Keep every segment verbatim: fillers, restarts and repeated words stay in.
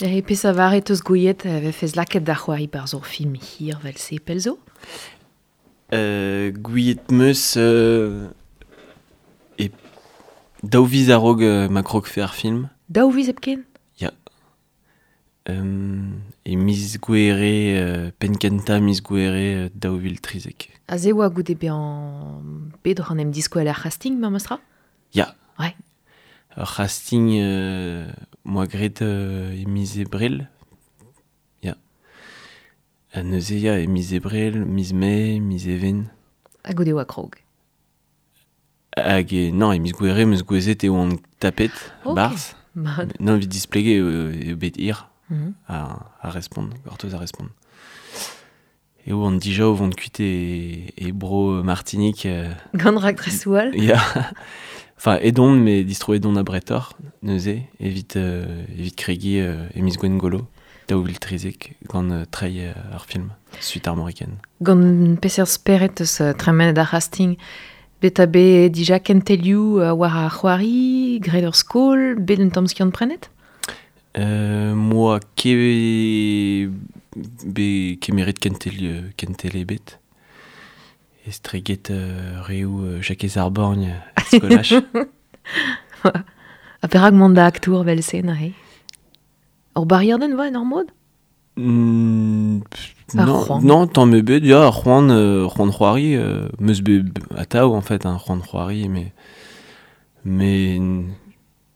E pes a vare teus gouiet vefez laket da c'hoari bar zor film hir vel se pelzo? Euh, gouiet meus euh, e daou viz a-raok euh, ma krog fe ar film. Daou viz hepken? Ya. Euh, e miz gouere, euh, penn kentañ miz gouere euh, daou vil trizek. Ha se oa goude bezañ bet oc'h an em diskouel ar c'hasting, memestra? Ya. Ouais. Ur c'hasting euh, moa graet euh, e miz ebrel. Ya. Ha neuze ya, e miz ebrel, miz mae, miz even. Ha goude oa krog. Hag e, non, e miz gouere, meus gouezet e oan tapet, Ok. barzh. Mat. Non, evit displeget eo, eo bet hir Mm -hmm. a, a respont, gortoz a respont. E oan dija o vont kuit e, e bro Martinique. Euh, Gant raktres all? Ya. Enfin, edon, mais distro edon a bretor, neuze, evit, euh, evit kregi euh, e miz Gwengolo, daou vil trizek, gant euh, treiñ euh, ar film, Suite armoricaine. Gant peseurt spered eus euh, tremenet ar c'hasting, bet a bet dija kentelioù euh, war ar c'hoari, graet ur skol, bet un tamm skiant prenet? Euh, moa ket be kemeret kentel, euh, kentel ebet. Estreget euh, reoù euh, Jakez ar Borgn er skolaj. Ha perak mont da aktour vel se neuze? Ur bariadenn va en ur mod? Mm, pff, Ar non, c'hoant. non, tamm ebet, ya, ar c'hoant, euh, c'hoant c'hoari, euh, meus bet atav, en fait, hein, c'hoant c'hoari, mais, mais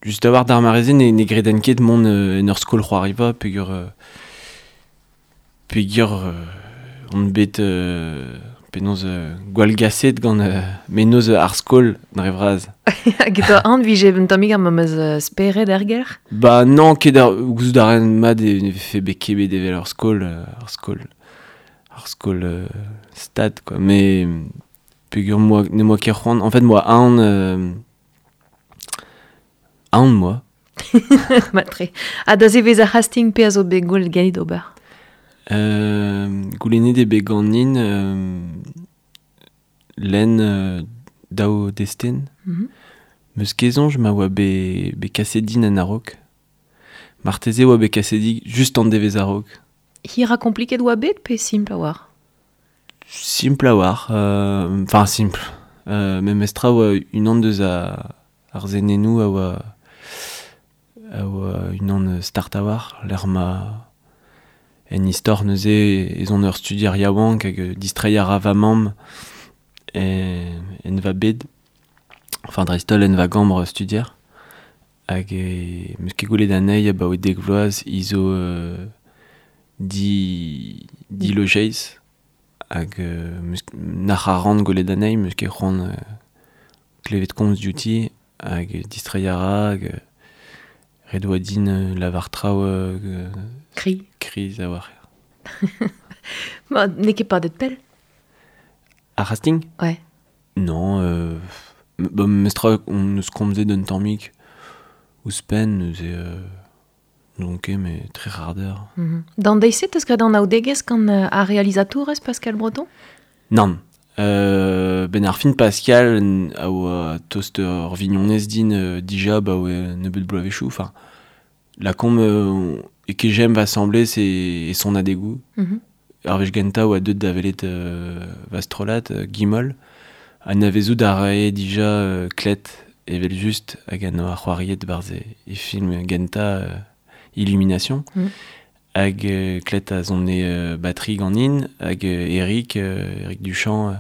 just a-walc'h d'ar mare-se ne, ne greden ket mont euh, en ur skol c'hoariva, peogwir, euh, peogwir euh, on bet euh, penaos euh, gwallgaset gant euh, mennozh ar skol dre vras. Hag e toa an vije un tammig ar memes euh, spered er gelc'h? Ba non, ket ar, gouzout a ran mat e ne vefe bet ket bet evel ur skol, euh, ur skol, ur skol euh, stad, quoi. Mais peogwir moa, ne moa ket c'hoant, en fait, moa aon, euh, aon moa. Matre. Ha da zevez ar c'hasting pe a zo bet gwell ganit ober? Euh, goulennet eo bet ganin euh, lenn euh, daou destenn. Mm -hmm. Meus ket soñj ma oa bet, bet kaset din en a-raok. Marteze oa bet kaset din just an devezh a-raok. Hir ha kompliket oa bet pe simpl a-walc'h? Simpl a-walc'h, euh, enfin simpl. Euh, memestra oa unan deus a, ar senennoù a oa, a oa unan start a-walc'h, lec'h ma en istor neuze ez on ur studier yaouank hag distreiñ a ra va mamm e, en va bed, enfin dreist-holl en va gambr studier, hag e, meus ket gwelet anezhi abaoe dek vloaz hi zo euh, di, di lojeiz, hag euh, meus, nac'h a ran gwelet anezhi, meus ket c'hoant euh, klevet komz diouti, hag distreiñ a ra, hag euh, ret oa din euh, lavar traoù euh, Kri. kriz a-walc'h. Ma, n'eo ket padet pell? Ar c'hasting? Ouais. Non, euh, ba, memestra on eus komzet un tammig ouzhpenn, neuze euh, n'on ket, mais tre c'hard eur. Mm -hmm. D'an deiz-se teus graet an anaoudegezh gant euh, ar realizatourez Pascal Breton? Nann. Euh, ben ar fin Pascal a oa tost ur vignonez din euh, dija ba oa nebeut bloavezhioù, enfin la kom euh, e kejem va asambles e, e son adegoù. Mm -hmm. Ar wech gentañ oa deuet da welet euh, va strollad, euh, Gimol, anavezout a rae dija euh, Klet evel just hag an oa c'hoariet barzh e, e film gentañ euh, Illumination. Mm. Hag euh, Klet a zone euh, batterie ganin, hag euh, Eric, euh, Eric Duchamp euh,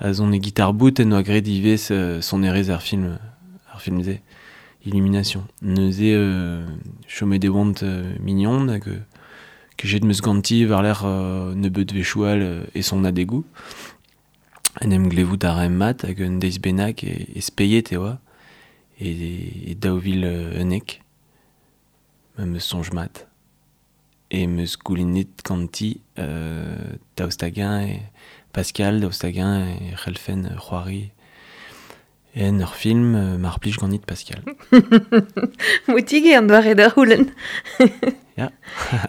a zone guitare bout en oa graet ivez euh, sonerezh ar film, ar film-se, Illumination. Neuze euh, chomet e oant euh, mignon hag euh, kejet meus ganti war-lerc'h euh, nebeut wechoù all euh, e son adegoù. En em glevout a raemp mat hag un deiz bennak e, e speiet e oa, e, e daou vil euh, unnek, ma meus soñj mat. E meus goulennet ganti euh, daoust hag-eñ e Pascal, daoust hag-eñ e c'hellfen c'hoari en ur film euh, mar plij ganit Pascal. Moutig eo an doare da c'houlenn. Ya.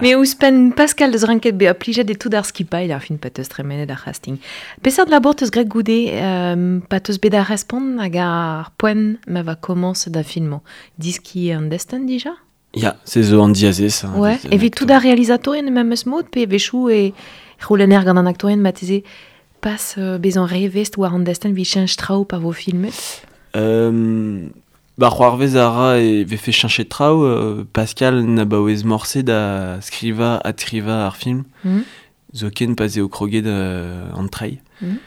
Me ouzhpenn Pascal deus ranket bezañ plijet e tout ar skipailh ar fin pa teus tremenet ar c'hasting. Peseurt labour teus graet goude euh, pa teus bet ar respont hag ar poent ma va komañs da filmañ? Diski an destenn dija? Ya, se zo an diazez. Hein, ouais. Evit tout ar realizatorien memes mod, pe vechou e c'houlenner gant an aktorien mateze pas euh, bezan revest war an desten vi chench traoù pa vo filmet. Euh, ba c'hoarvez a ra e vefe cheñchet traoù, euh, Pascal na baouez morse da skriva adskriva ar film, mm. Zoken pa eo kroget euh, an treiñ. Mm.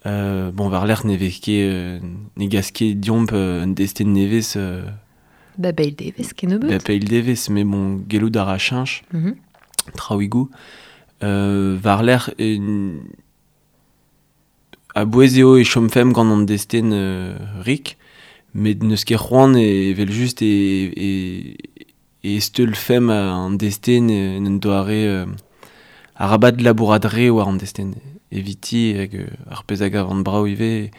Euh, bon, war lerc'h ne vez ket, euh, ne gas ket diomp euh, un desten nevez... Euh, Ba beil devez, kennebeut. Ba beil devez, mais bon, gellout a ra cheñch, mm -hmm. traouigoù. Euh, war lerc'h, e, a bouez eo e chomfemp gant an desten euh, rik, met n'eus ket c'hoant e evel just e, e, e steulfemp an desten en un doare euh, arabat labourat re war an desten. Eviti hag ar pezh hag an brao ivez,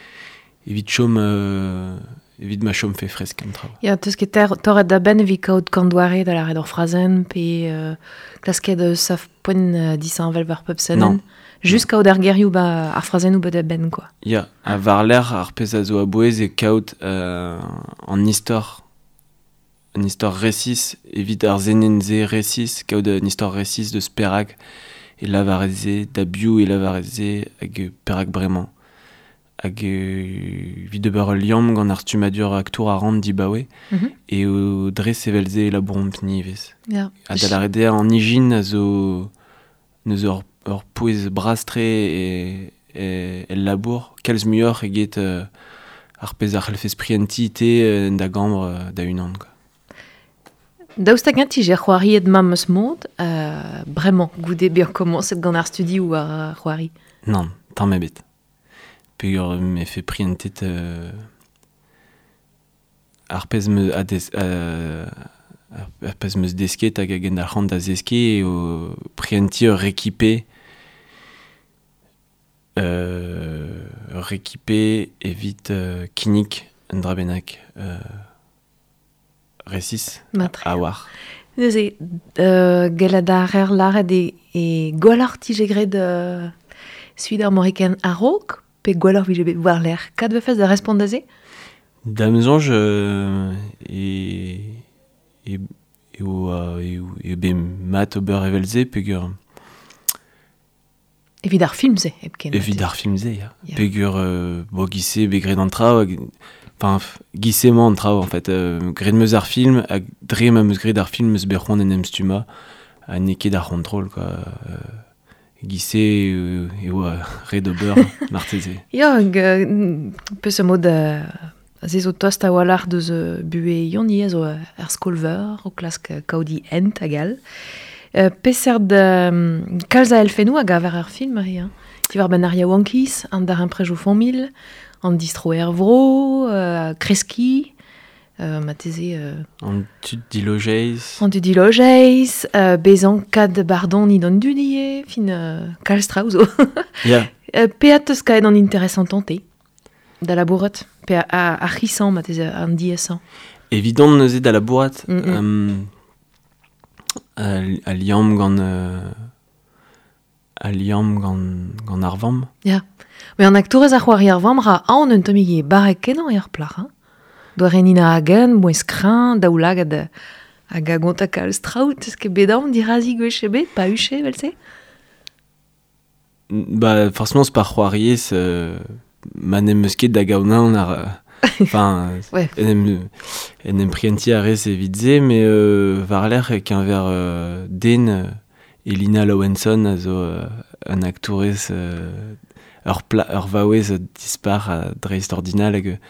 evit chom... Euh, evit ma chom fe fresk an traoù. Ya, teus ket torret da benn evit kaout kant doare da lâret ur frazenn, pe euh, klasket eus sav poent euh, disheñvel war pep senenn. Non. Just kaout ar gerioù ba ar frazennoù ba da benn, quoi. Ya, ha war lerc'h ar pezh a zo a-bouez e kaout euh, an istor, an istor resis, evit ar zenenn-se resis, kaout an istor resis deus perak e lavarez-se, da biv e lavarez-se, hag perak bremañ. Hag evit ober ul liamm gant ar stummadur aktour a ran dibaoe, mm -hmm. e o dres evel-se e labouromp-ni ivez. Yeah. Ha da lâret eo an ijin a zo neus ur, ur pouez bras-tre e, e, el labour, kalz muioc'h eget euh, ar pezh a c'hellfes prientiñ te en da gambr euh, da unan. Quoi. Daoust hag int ije c'hoariet ma meus mod, euh, bremañ, goude bezañ komañset gant ar studi ou ar c'hoari? Nann, tamm ebet. Peogwir me fe prientet euh, ar pezh meus a des, euh, ar pezh meus desket hag a gendalc'han da zeskiñ eo prientiñ ur rekipe euh, ur rekipe evit euh, kinnig un dra bennak euh, resis Matre. a war. Neuze, euh, gellet a rer lâret e, e gwelloc'h tije graet euh, suit ar Moriken a-raok, pe gwelloc'h vije bet war lerc'h. Kad vefez da respont da se? Da'm soñj euh, e, e, eo, eo, eo bet mat ober evel-se peogwir... Evit ar film-se, hepken. Evit ar film-se, ya. Ya. Peogwir, euh, bo, giz-se bet graet an traoù, hag, enfin, giz-se emañ an traoù, en fait. Euh, graet 'm eus ar film, hag dre ma 'm eus graet ar film 'm eus bet c'hoant en em stummañ, ha n'eo ket ar c'hontrol, quoi. Euh, giz-se euh, eo ret ober, marteze. Ya, hag, euh, peseurt mod euh, se zo tost a-walc'h deus euh, buhez Yoni, a zo ar skol-veur, o klask kaout he hent hag all. Euh, peseurt euh, kalz a elfennoù a gaver ar film, Marie, hein. Diwar benn ar yaouankiz, an daremprejoù familh, an distro er vro, euh, kreskiñ, euh, marteze... Euh, an tud dilojeiz. An tud dilojeiz, euh, bezañ kad bardon d'an dud ivez, fin euh, kalz traoù zo. Ya. Euh, peat eus kaet an interesantañ te, da labourat, pe a, a, ar c'hisañ, marteze an diaesañ. Evidon neuze da labourat, Mm -mm. um, a, a liamm gant euh, a liamm gant, gant ar vamm. Ya. Mais an aktourez a c'hoari ar vamm ra aon un tammig e barrek kenañ eo ar plac'h, hein. Doare Nina Hagen, mouezh kreñv, daoulagad hag a gonta kalz traoù, teus ket bet aon dirazi gwech ebet, pa huche evel-se? Ba, forcément, c'est pas c'hoariez, euh, ma n'em eus ket da gaout aon ar... Enfin, Ouais. en em, en em prientiñ a rez evit se, mais euh, war lerc'h e keñver euh, den, euh, Elina Lowenson a zo euh, un aktourez euh, ur, pla, ur vaouez dispar a dreist ordinal hag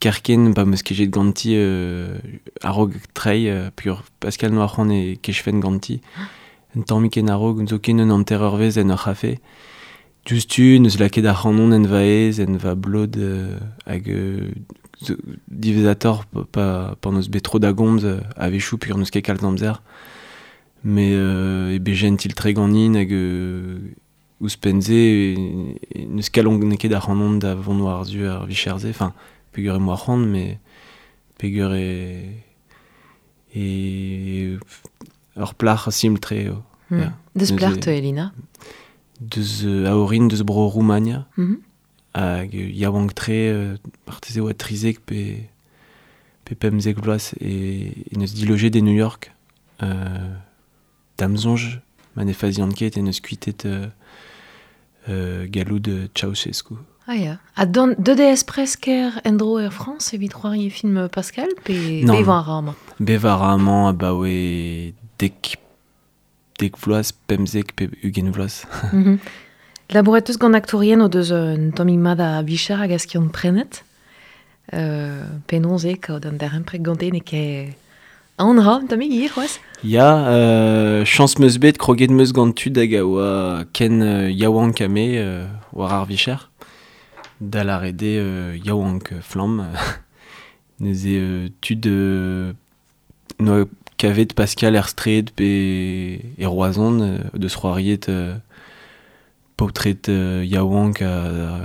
kerken pa 'm eus kejet ganti euh, a-raok treiñ, euh, peogwir Pascal Noac'han e kejfen ganti. Un tammig en a-raok, zoken un hanter eurvezh en ur c'hafe. Diouzhtu, neus lakaet ar c'hanon en va aez, en va blod, euh, hag euh, zo, diwezhatoc'h pa, pa, pa n'eus bet tro da gomz euh, a-wechoù peogwir n'eus ket kalz amzer. Mais euh, e bet gentil tre ganin hag euh, ouzhpenn-se, e, e, n'eus kalon n'eo ket ar c'hanon da vont war-zu ar vicher-se, enfin, peogwir emañ ar c'hoant, mais peogwir e, e ur plac'h simpl-tre eo. Mm. Ya. Deus Neuze- plac'h te, Elina? Deus euh, a orin deus bro Roumania, Mm -hmm. hag yaouank-tre, euh, marteze oa trizek pe, pe pemzek vloaz e, e neus dilojet e New York. Euh, dam zonj, ma ne fazian ket e neus kuitet euh, euh, galoud Ceausescu. Ah ya. Ha don, deut eo presker endro er Frans evit c'hoari film Pascal, pe Non. bevañ a ra amañ? Bevañ a ra amañ abaoe dek, dek vloaz, pemzek pe ugent vloaz. Mm-hmm. Labouret eus gant aktourien o deus un tammig mat a vicher hag a skiant prenet. Euh, penaos eo kaout an darempred gante n'eo ket an ra, un tammig ivez c'hoazh? Ya, euh, chañs 'meus bet kroget 'meus gant tud hag a oa ken euh, yaouank ha me euh, war ar vicher. Da lâret eo euh, yaouank flamm. Neuze euh, tud euh, noa kavet Pascal er straed pe e Roazhon euh, deus c'hoariet euh, paotred euh, yaouank a,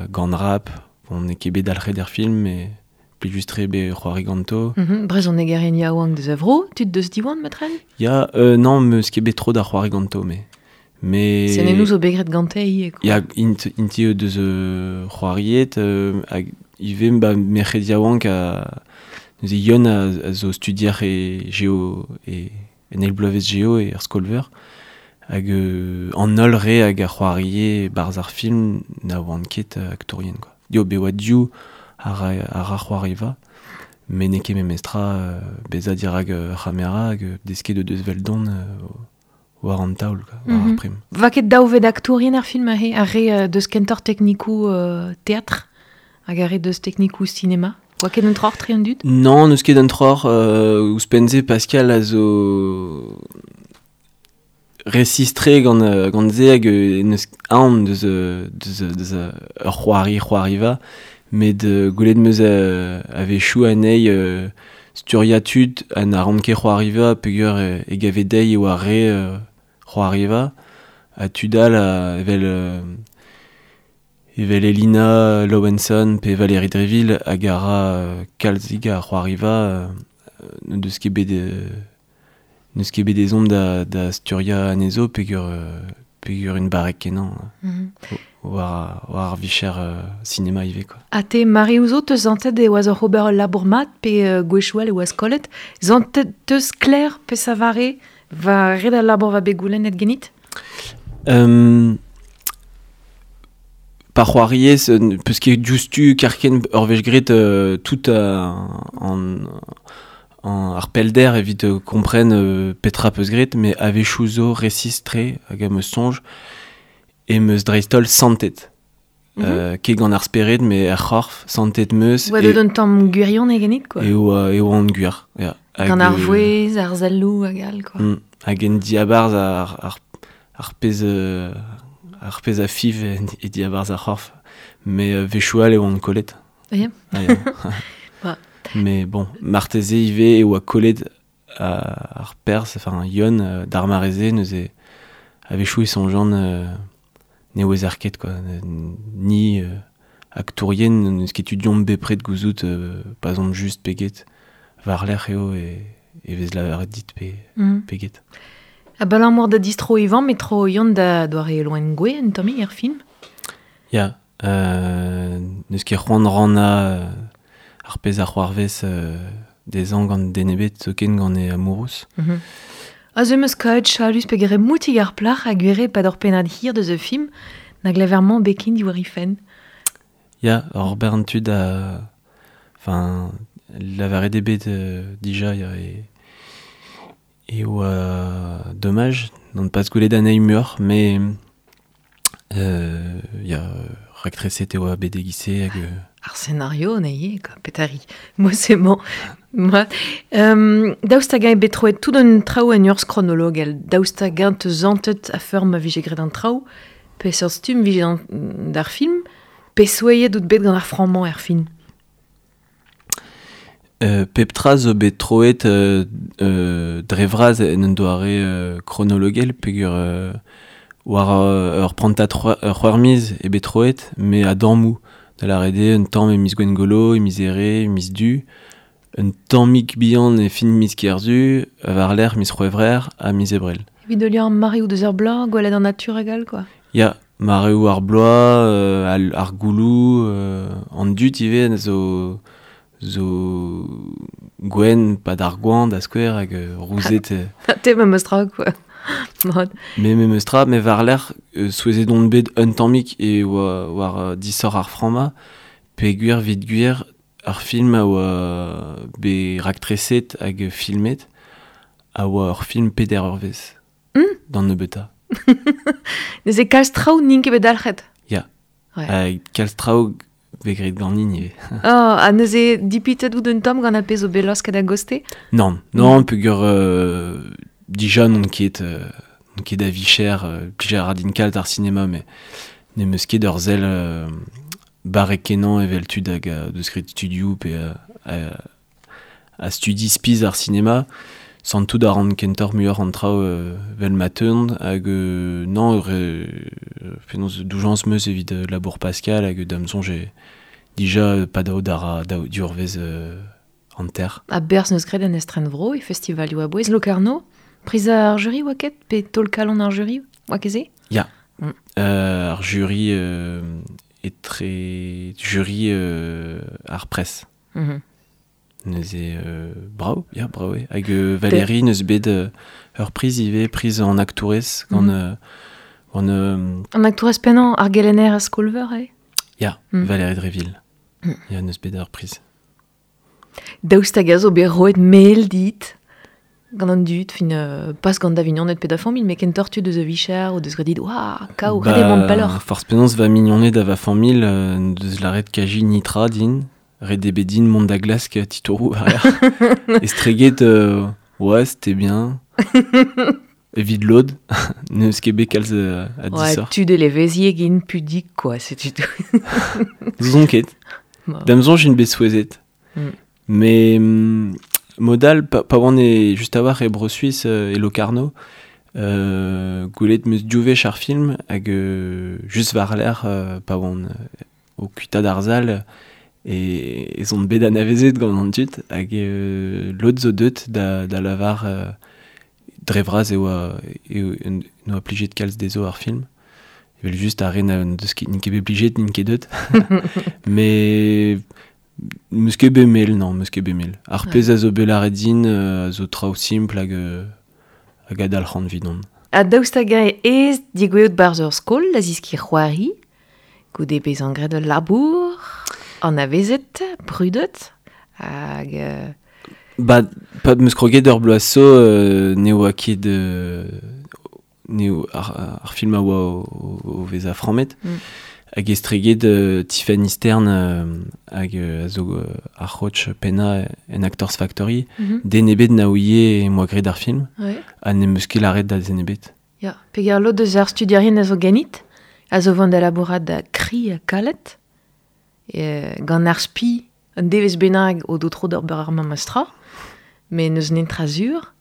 a gant rap. Bon, n'eo ket bet dalc'het er film, mais plijus-tre bet c'hoari ganto. Mm-hmm. Brezhonegerien yaouank deus a vro, tud deus Diwan, matren? Ya, euh, non, meus ket bet tro da c'hoari ganto, mais... Mais... Senennoù zo bet graet gante ivez, quoi. Ya, int, int eo deus euh, c'hoariet, euh, hag ivez ba merc'hed yaouank a... Neuze Yon a, a zo studier e geo, e, en eil bloavezh geo e er skol-veur. Hag euh, an holl re hag a c'hoarie barzh ar film na oant ket euh, aktourien, quoi. Dio, be oa div a ra, a ra c'hoariva, met n'eo ket memestra euh, bezañ dirak euh, ar c'hamera hag euh, desket o deus veldon euh, war an taol, quoi, war ar Mm-hmm. prim. Va ket daou vet aktourien ar film aze, ar re euh, deus kentoc'h teknikoù euh, teatr hag ar re deus teknikoù sinema? Oa ket un troc'h tre an dud? Non, n'eus ket un troc'h, euh, ouzhpenn-se Pascal a zo resistre gant, euh, gant se hag euh, n'eus aon deus, euh, deus, deus euh, ur c'hoari c'hoariva, met euh, gwelet 'meus euh, a-wechoù anezhi euh, sturia tud ha na ran ket c'hoariva peogwir e, e gave dezhi e oa re euh, c'hoariva, ha tud all a, evel, euh, evel Elina Lowenson pe Valérie Dréville hag a ra euh, kalzig a c'hoariva euh, n'o deus ket bet euh, n'eus ket bet ezhomm da, da sturia anezho peogwir, euh, peogwir un barrek kenañ Mm-hmm. war, war ar vicher euh, sinema ivez, quoi. Ha te mare ouzo teus zantet e oaz oc'h ober ul labour mat pe euh, gwechoù all e oaz kollet. Zantet teus kler pe savare va ret al labour va bet goulennet genit? Euh, pa c'hoariez, euh, peus ket diouzhtu karken ur wech graet euh, tout a, an, an ar pellder evit euh, kompren euh, petra peus graet, met a-wechoù zo resis-tre hag am eus soñj e meus dreist-holl santet. Mm-hmm. Euh, ket gant ar spered, met ar c'horf, santet meus Oa e, deut un tamm gwirion e genit, quoi. e oa, e oa an gwir. Ya. Hag, Gant ar euh, vouezh, ar selloù hag all, quoi. Mm, hag en diabarzh ar, ar, ar pezh, euh, ar pezh a fiv en, e diabarzh ar c'horf. Mais euh, wechoù all e oan kollet. Ya. Ah, ya. Ba. Mais bon, marteze ivez e oa kollet a, ar perzh, enfin Yon, euh, d'ar mareze, neuze a-wechoù e soñjan euh, ne oez ar ket, quoi. Ni euh, aktourien, n'eus ket tu diomp bepred gouzout euh, pa zomp just peget war-lerc'h eo e, e vez lavaret dit pe, Mm. peget. Abalamour da distro Ivan, met tro Yon da doare loen gwe un tammig er film? Ya, euh, n'eus ket c'hoant rannañ euh, ar pezh a c'hoarvez euh, dezhañ gant den ebet zoken gant e amourouz. Mm-hmm. A ze meus kaet chalus pe gere moutig ar plac'h a gwere pad ur pennad hir deus e film na glavermañ bekin diwar he fenn. Ya, ur bern tud a... Enfin, lavaret eo bet euh, dija, ya, e... E oa dommage, n'on pas gwelet anezhi muioc'h, mais euh, ya, raktreset e oa bet e-giz-se hag... Euh, Ar scénario n'eo quoi, petari. Moi c'est bon. Moi euh, daoust hag-eñ bet troet tout an traoù en urzh kronologel. Daoust hag-eñ teus zantet a-feur ma vije graet an traoù, pe seurt stumm vije an, d'ar film, pe souezhet out bet gant ar frammañ er fin. Euh, pep tra zo bet troet euh, euh, dre vras en un doare euh, kronologel peogwir euh, war euh, ur prantad c'hwe- ur c'hwec'h miz e bet troet, met a dammoù. Da lâret eo un tamm e miz Gwengolo, e miz Here, e miz Du, un tammig bihan e fin miz Kerzu, war-lerc'h miz C'hwevrer ha miz Ebrel. Evit heuliañ ar mareoù deus ar bloaz, gwelet an natur hag all, quoi. Ya, mareoù ar bloaz, euh, al, ar gouloù, euh, an dud ivez zo, zo gwen pa d'ar gwan da skouer hag euh, rouzet. Euh, Te me meus tra quoi. Me me meus tra, me war l'er euh, souezet on bet un tammik e oa war uh, disor ar framma, pe gwir vid gwir ar film a oa be raktreset hag filmet a oa ur film peder ur vez. Mm. D'an nebeuta. Neuze kalz traoù n'int ket bet dalc'het. Ya. Ouais. Hag kalz traoù bet graet ganin ivez. Oh, ha neuze dipitet out un tamm gant ar pezh zo bet laosket a-goste? Non, non, peogwir euh, dija n'on ket, euh, n'on ket a vicher, euh, plij a ra din kalz ar sinema, mais ne meus ket ur sell euh, barrek kenañ evel tud hag a deus graet studioù pe a, a, a studi spiz ar sinema, santout a ran kentoc'h muioc'h an traoù euh, vel ma teunt hag euh, non, re, penaos doujañs meus evit euh, labour Pascal hag da'm soñj e dija euh, pa dao d'ar dao diurvez euh, an ter. A berzh neus graet en estrenvro e festivalioù a-bouez Locarno, priz ar jury oa ket, pe taol kalon ar jury oa ket se? Ya. Mm. Euh, ar jury euh, etre jury euh, ar presse. Mm-hmm. Neuze euh, bravo, ya, bravo eo. Hag euh, Valérie neus bet euh, ur priz ivez, priz an aktourez gant, Mm. euh, gant euh, An aktourez pennañ ar gelenner a skolveur eo? Ya, Mm. Valérie Dréville. Mm. Ya, neus bet ur priz. Daoust hag a zo bet roet mel dit gant an dud, fin euh, pas gant da vignoned pe da familh, met kentoc'h tud eus a vicher o deus graet dit, oua, kao, ret eo mont pelloc'h. Forzh penaos va mignoned ha va familh euh, deus lâret kaji nitra din, ret eo bet din mont da glask titouroù war Estreget, euh, ouais, c'était bien. Evit lod, n'eus ket bet kalz euh, a Ouais, disoc'h. tud eleveziek int pudik, quoi, setu tout. N'ouzon ket. Ba. Da'm soñj int bet souezhet. Mm. Mais mm, modal, pa, pa oan e just a-walc'h e Bro-Suis euh, e Locarno, euh, gwelet meus div wech ar film hag euh, just war l'er euh, pa oan euh, o kuitaat ar sal e ez on bet anavezet gant an dud hag euh, lod zo deut da, da lavar euh, dre vras e oa e, e, n'oa plijet kalz dezho ar film. Evel just ar re na deus ket n'int ket bet plijet, n'int ket deut. Mais meus ket bet mel, non, meus ket bet mel. Ar Ouais. pezh a zo bet lâret din euh, a zo traoù simpl hag, euh, hag a dalc'han 'vidon. Ha daoust hag eñ ez digouezhout barzh ur skol da ziskiñ c'hoari, goude bezañ graet ul labour, anavezet, brudet, hag... Euh, Ba, pa meus kroget ur bloaz zo euh, ne oa ket euh, ne ar, ar film a oa o, o, o vezañ frammet. Mm. Hag estreget euh, Tiffany Stern euh, hag euh, a zo euh, ar c'hoach pennañ en Actors Factory, mm-hmm. den ebet na ouie e moa graet ar film, Ouais. ha ne meus ket lâret da zen ebet. Ya, peger lod eus ar studierien a zo ganit, a zo vont da labourat da kri ha kalet, e, gant ar spi, un devezh bennak o do tro d'ober ar memes tra, met n'eus netra sur.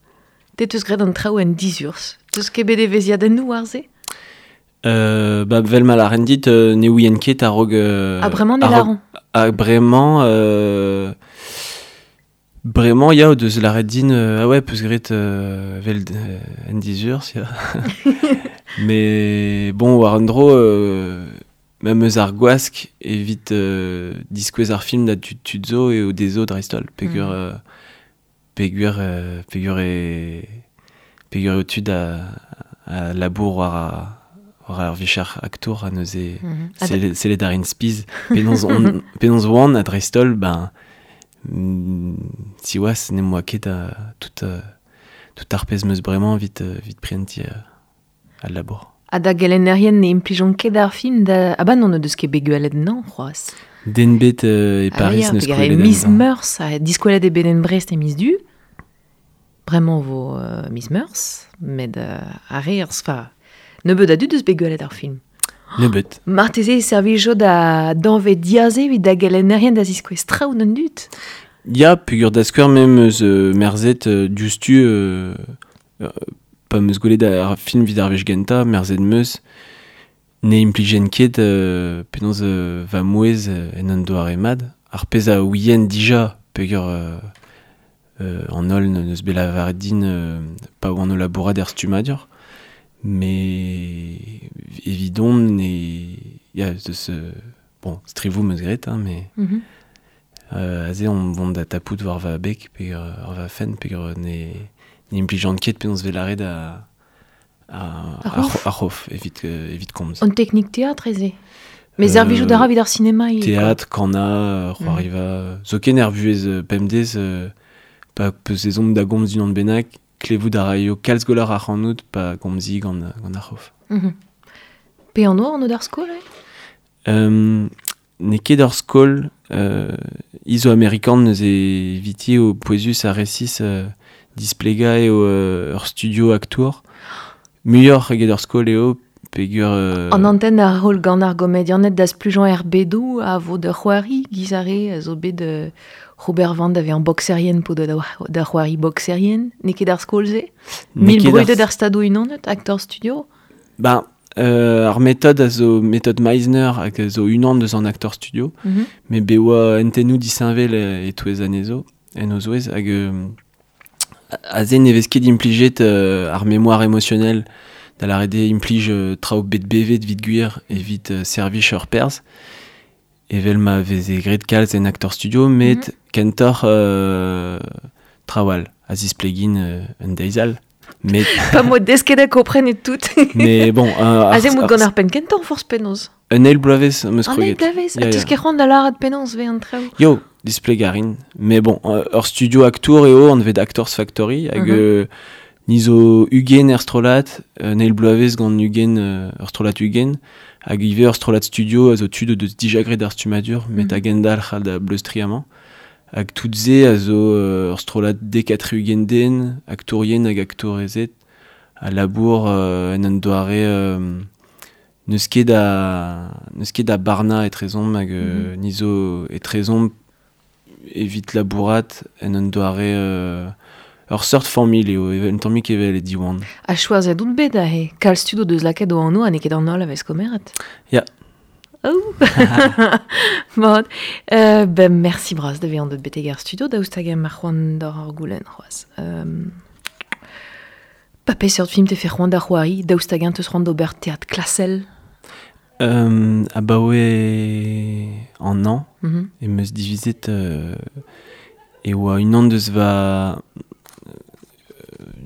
Te teus graet an traoù en dizurzh. Teus ket bet evezhiadennoù war se? Euh, ba, vel ma lâren dit, euh, ne ouien ket a-raok... Euh, Ah, bremañ ne a-raok- lâran. Ah, bremañ... Euh, bremañ, ya, o deus lâret din, euh, ah ouais, peus graet euh, vel euh, en dizurzh, ya. Mais bon, war un dro, euh, même eus ar gwask evit euh, diskouez ar film da tud tud zo eo dezho dreist-holl, peogwir Mm. euh, peogwir euh, peogwir e peogwir eo tud a, a labour war a, war ar vicher aktour a neuze Mm-hmm. Ha da- sellet sellet ar int spiz penaos on penaos oan ha dreist-holl ben mm, siwazh n'em boa ket a tout euh, tout ar pezh meus bremañ evit euh, evit prientiñ euh, al labour. Ha da gelennerien ne implijont ket ar film da... Ah ba non, ne deus ket bet gwelet nañ c'hoazh. Den bet euh, e Ah Paris ya, neus peogwir kwelet e miz anezhañ. Meurzh, ha diskwelet eo bet en Brest e miz Du. Bremañ vo euh, miz Meurzh, met euh, ar re ar sfa... Nebeut a dud deus bet gwelet ar film. Nebeut. Marteze e servijo da danvez diaze evit da gelennerien da ziskouez traoù d'an dud. Ya, peogwir da skouer mem eus euh, merzet euh, diouzhtu euh, euh, pa meus gwelet ar film evit ar wech gentañ, merzet meus ne implijen ket euh, penaos euh, va mouezh euh, en un doare mat. Ar pezh a ouien dija peogwir euh, euh, an holl n'eus bet lavaret din euh, pa oan o labourat er stummadur. Mais evidon ne... Ya, eus, euh, bon, strivoù meus graet, hein, mais Mm-hmm. Euh, aze on vont da tapout war va beg pe ur va fen pe ne ne implijan ket penaos vel arret a a a c'hof evit evit komz. An teknik teatr eze. Mais euh, servijout da ra evit ar sinema. Teatr, kana, c'hoariva, mm. Zoken er vuez pemdez pa peus ezhomm da gomz unan bennak, klevout a raio kalz golar ar c'hanout pa gomzi gant, gant ar c'hof. Mm-hmm. Pe an oa an od ar skol, eh? Um, n'eo ket ar skol euh, izo-amerikan neuze eviti o pouezus ar resis euh, displega eo euh, ur studio aktour. Muioc'h eget ur skol eo pegur... Euh... An anten ar rol gant ar gomedianet da splujañ er bedou a vo de c'hoari gizare zo bet de Robert Van da vezañ boxerien po da, da c'hoari boxerien. N'eo ket ar skol se? Mil brudet ar stado unanet, actor studio? Ben, Euh, ar méthode a zo méthode Meisner hag a zo unan deus an actor studio, mm-hmm. met be oa entennou disheñvel e-touez anezho, en o zouez, hag euh, aze ne vez ket implijet euh, ar mémoire émotionnelle da lâret eo implij euh, traoù bet bevet evit gwir evit euh, servij ur perzh, evel ma veze graet kalz en actor studio, met mm-hmm. kentoc'h euh, traoù all, a zisplegin euh, un deiz all. Mais pa mo desket a kompren et tout. Mais bon... Euh, Aze mout gant ar penn kentañ forzh penaos. Un eil bloavezh am eus kroget. Un eil bloavezh, ha teus ket c'hoant da lâret penaos vez an traoù. Yo, displegarin. Mais bon, ur studio aktour eo anvet Actors Factory, hag mm-hmm. euh, ni zo ugent er strollad, un eil bloavezh gant ugent, ur strollad ugent, hag ivez ur strollad studio a zo tud deus dija graet ar stummadur, met mm-hmm. a-gendalc'h da bleustriñ amañ. Hag tout se a zo ur strollad dek ha tri-ugent den, aktourien hag aktourezed, a labour euh, en un doare euh, n'eus ket da n'eus ket da barna etrezomp hag mm-hmm. ni zo etrezomp evit labourat en un doare euh, ur seurt familh eo, un tammig evel e Diwan. Ha choazet out bet aze, kalz tud o deus lakaet o anv ha n'eo ket an holl a vez komeret. Ya. Oh. Bon. Euh, ben, merci bras da vezañ deut betek ar studio, daoust hag em ar c'hoant d'ar ar goulenn c'hoazh. Euh, pa peseurt film te fe c'hoant da c'hoari, daoust hag en teus c'hoant d'ober teatr klasel? Euh, abaoe an an, mm-hmm. em eus divizet euh, e oa unan deus va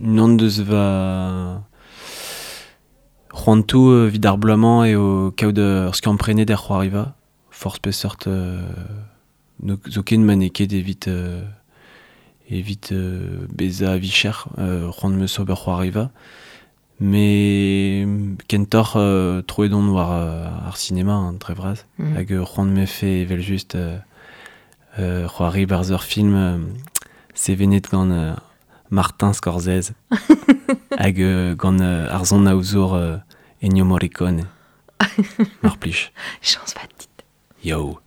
unan deus va c'hoantoù evit ar bloaz-mañ eo kaout ur skiant-prenet er c'hoariva, forzh peseurt euh, zoken ma n'eo ket evit euh, evit euh, bezañ a-vicher euh, c'hoant 'm eus ober c'hoariva, mais kentoc'h euh, troet on war euh, ar sinema hein, dre vras, mm. hag c'hoant 'm efe evel-just euh, euh, c'hoari barzh ur film euh, sevenet gant euh, Martin Scorsese hag euh, gant euh, ar son aozour euh, Ennio Morricone. Mar plij. Chañs vat dit. Yo.